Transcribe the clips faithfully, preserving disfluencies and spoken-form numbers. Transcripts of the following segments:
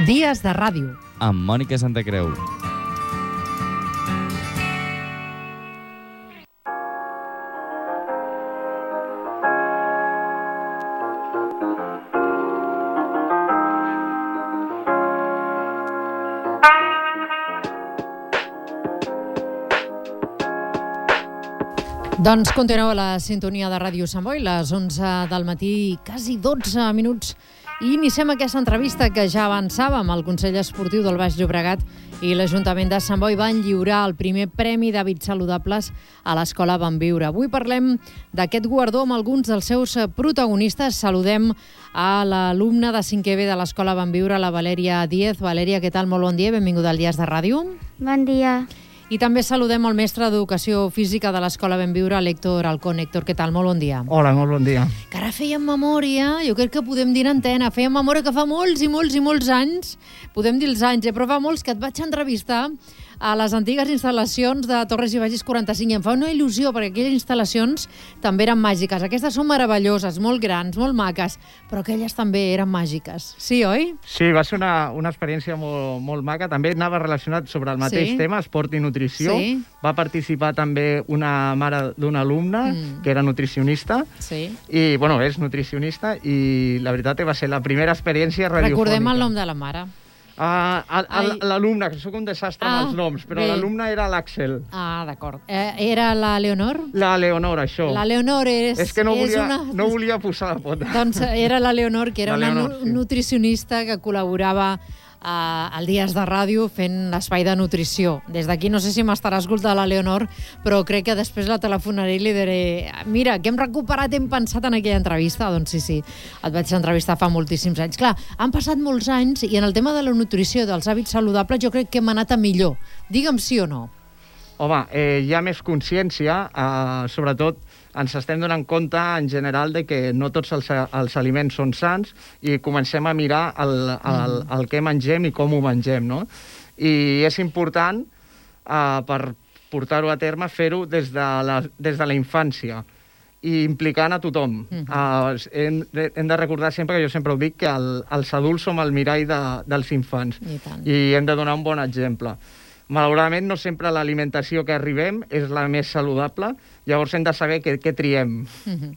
Dies de ràdio. Amb Mònica Santacreu. Doncs continueu a la sintonia de Ràdio Sant Boi, les onze del matí, quasi dotze minuts, i iniciem aquesta entrevista que ja avançàvem. El Consell Esportiu del Baix Llobregat i l'Ajuntament de Sant Boi van lliurar el primer Premi d'Hàbits Saludables a l'Escola Benviure. Avui parlem d'aquest guardó amb alguns dels seus protagonistes. Saludem a l'alumna de cinquè B de l'Escola Benviure, la Valèria Díez. Valèria, què tal? Molt bon dia, benvinguda al Dies de Ràdio. Bon dia. I també saludem el mestre d'Educació Física de l'Escola Benviure, l'Héctor Alcón. Héctor, què tal? Molt bon dia. Hola, molt bon dia. Que ara fèiem memòria, jo crec que podem dir en antena, fèiem memòria que fa molts i molts i molts anys, podem dir els anys, eh? Però fa molts que et vaig entrevistar a les antigues instal·lacions de Torres i Bages quaranta-cinc, i em fa una il·lusió, perquè aquelles instal·lacions també eren màgiques. Aquestes són meravelloses, molt grans, molt maques, però aquelles també eren màgiques. Sí, oi? Sí, va ser una, una experiència molt, molt maca. També anava relacionat sobre el mateix Sí. tema, esport i nutrició. Sí. Va participar també una mare d'una alumna, Mm. que era nutricionista, Sí. i, bueno, és nutricionista, i la veritat que va ser la primera experiència radiofònica. Recordem el nom de la mare. Uh, Ai. L'alumna, que sóc un desastre Ah, amb els noms, però bé. l'alumna era l'Àxel. Ah, d'acord. Eh, era la Leonor? La Leonor, això. La Leonor és... És que no és volia, una... no volia posar la pota. Doncs era la Leonor, que era La una Leonor, nu sí. nutricionista que col·laborava eh, al Dies de Ràdio fent l'espai de nutrició. Des d'aquí no sé si m'estarà escoltant la Leonor, però crec que després la telefonaré i li diré mira, que hem recuperat, hem pensat en aquella entrevista. Doncs sí, sí, et vaig entrevistar fa moltíssims anys. Clar, han passat molts anys i en el tema de la nutrició, dels hàbits saludables, jo crec que hem anat a millor. Digue'm sí o no. Home, eh, hi ha més consciència, eh, sobretot ens estem donant compte en general de que no tots els, els aliments són sants i comencem a mirar el, el, el que mengem i com ho mengem, no? I és important, eh, per portar-ho a terme, fer-ho des, de la, des de la infància i implicant a tothom. Mhm. Uh, hem, de, hem de recordar sempre, que jo sempre ho dic, que el, els adults som el mirall de, dels infants I tant. i hem de donar un bon exemple. Malauradament, no sempre l'alimentació que arribem és la més saludable, llavors hem de saber què, què triem. Mhm.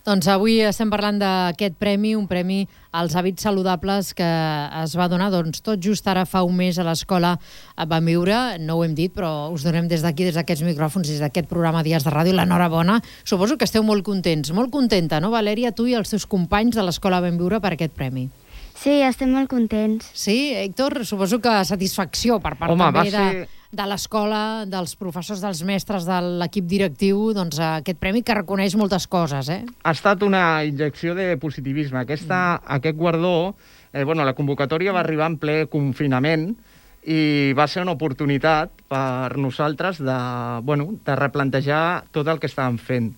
Doncs avui estem parlant d'aquest premi, un premi als hàbits saludables que es va donar doncs, tot just ara fa un mes a l'Escola Benviure. No ho hem dit, però us donem des d'aquí, des d'aquests micròfons, des d'aquest programa Dies de Ràdio, l'enhorabona. Suposo que esteu molt contents, molt contenta, no, Valèria, tu i els teus companys de l'Escola Benviure per aquest premi? Sí, estem molt contents. Sí, Héctor, suposo que satisfacció per part Home, també va de, ser- de l'escola, dels professors, dels mestres, de l'equip directiu, doncs aquest premi que reconeix moltes coses, eh? Ha estat una injecció de positivisme. Aquesta, mm. Aquest guardó, eh, bueno, la convocatòria va arribar en ple confinament i va ser una oportunitat per nosaltres de, bueno, de replantejar tot el que estàvem fent.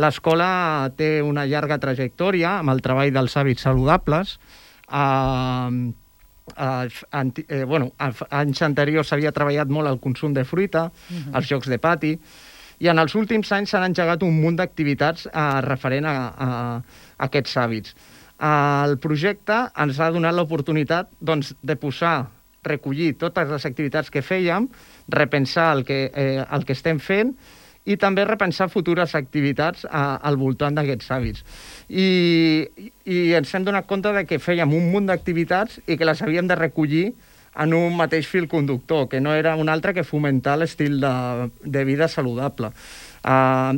L'escola té una llarga trajectòria amb el treball dels hàbits saludables. Uh, uh, anti, eh, bueno, anys anteriors s'havia treballat molt el consum de fruita, uh-huh. els jocs de pati, i en els últims anys s'han engegat un munt d'activitats uh, referent a, a, a aquests hàbits. Uh, el projecte ens ha donat l'oportunitat, doncs, de posar, recollir totes les activitats que fèiem, repensar el que, eh, el que estem fent i també repensar futures activitats a, al voltant d'aquests hàbits. I, I ens hem donat compte de que fèiem un munt d'activitats i que les havíem de recollir en un mateix fil conductor, que no era un altre que fomentar l'estil de, de vida saludable. Uh,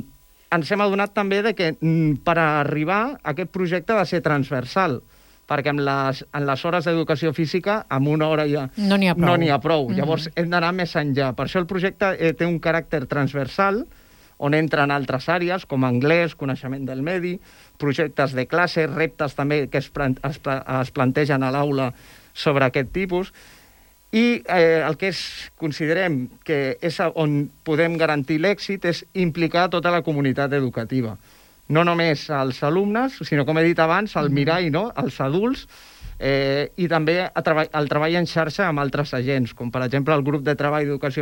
ens hem adonat també de que mm, per arribar a aquest projecte ha de ser transversal, perquè en les, en les hores d'educació física, amb una hora ja No n'hi ha prou. no n'hi ha prou. Mm-hmm. Llavors hem d'anar més enllà. Per això el projecte eh, té un caràcter transversal, on entren altres àrees, com anglès, coneixement del medi, projectes de classe, reptes també que es, plan es, pla es plantegen a l'aula sobre aquest tipus, i eh, el que és, considerem que és on podem garantir l'èxit és implicar tota la comunitat educativa. No només als alumnes, sinó, com he dit abans, al mirall, no? Els adults, eh, i també a treba el treball en xarxa amb altres agents, com per exemple el grup de treball d'educació